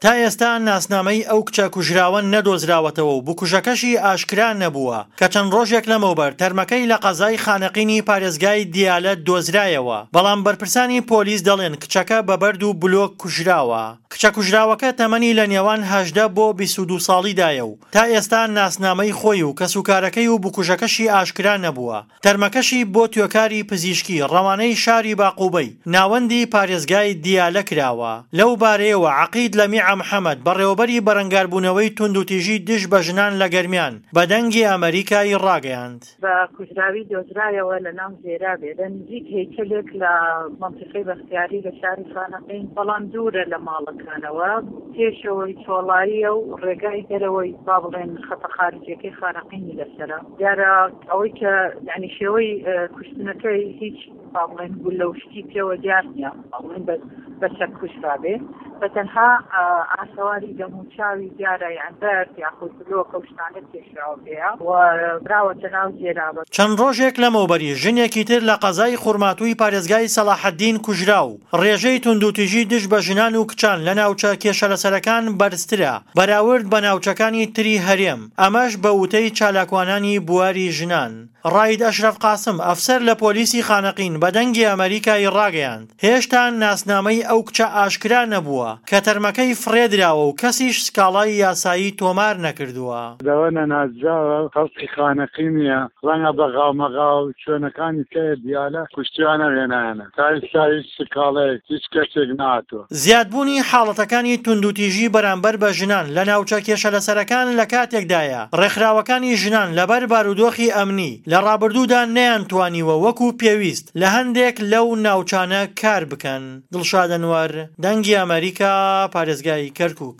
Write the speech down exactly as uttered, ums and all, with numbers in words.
تا ئێستا ناسنامەی ئەو کچە کوژراوە نەدۆزراوەتەوە و بکوژەکەشی ئاشکرا نەبووە کە چەند ڕۆژێک لەمەوبەر تەرمەکەی لە قەزای خانەقینی پارێزگای دیالە دۆزرایەوە، بەڵام بەرپرسانی پۆلیس دەڵێن کچەکە بە بەرد و بلۆک کوژراوە. کچە کوژراوەکە تەمەنی لە نێوان هەژدە بۆ بیست و دوو ساڵیدایە و تا ئێستا ناسنامەی خۆی و کەسوکارەکەی و بکوژەکەشی ئاشکرا نەبووە. تەرمەکەشی بۆ توێکاری پزیشکی ڕەوانەی شاری باقوبەی ناوەندی پارێزگای دیالە کراوە. لەو بارەیەوە عەقید لەمیعە محەمەد بەڕێوەبەری بەرەنگاربوونەوەی توندوتیژی دژ بە ژنان لە گەرمیان بە دەنگی ئەمەریکای ڕاگەیاند. بە کوژراوی دۆزرایەوە لە ناو زێرابێ لە نزیک هەیکەلێک لە مەنتیقەی بەختیاری لە شاری خانەقین، بەڵام دوورە لە ماڵەکانەوە، پێشەوەی چۆڵاییە و ڕێگای دەرەوەی با بڵێن خەتە خارجیەکەی خانەقینی لەسەرە. دیارە ئەوەی کە یعنی شێوەی کوشتنەکەی هیچ با بڵێن گولە و شتی پێوە دیار نییە، با بڵێن بە چەک کوژرابێ، بە تەنها ئاسەواری دەموچاوی دیارە، یان بەرد یاخود بلۆک ئەو شتانە کێشراوە پێیە و براوەتە ناو زێرابە. چەند ڕۆژێک لەمەوبەری ژنێکی تر لە قەزای خورماتووی پارێزگای سەڵاحەدین کوژرا و ڕێژەی توندوتیژی دژ بە ژنان و کچان لە ناوچە کێشەلەسەرەکان بەرزترە بەراورد بە ناوچەکانی تری هەرێم، ئەمەش بە وتەی چالاکوانانی بواری ژنان. ڕائید ئەشرەف قاسم ئەفسەر لە پۆلیسی خانەقین بە دەنگی ئەمەریکای ڕاگەیاند هێشتا ناسنامەی ئەو کچە ئاشکرا نەبووە کە تەرمەکەی فڕێدراوە و کەسیش سکاڵای یاسایی تۆمار نەکردووە. لەوە نەناسراوە خەڵکی خانەقینیە، ڕەنگە بە غاومەغاو شوێنەکانی کە دیالە کوشتیانە هێنایانە، تا ئێستا هیچ سکاڵەیەک هیچ کەسێک نهاتووە. زیادبوونی حاڵەتەکانی توندوتیژی بەرامبەر بە ژنان لە ناوچە کێشەلەسەرەکان لە کاتێکدایە ڕێکخراوەکانی ژنان لەبەر بارودۆخی ئەمنی لە ڕابردوودا نەیانتوانیوە وەکو پێویست لە هەندێک لەو ناوچانە کار بکەن. دڵشاد ئەنوەر، دەنگی ئەمەریکا، پارێزگای کەرکوک.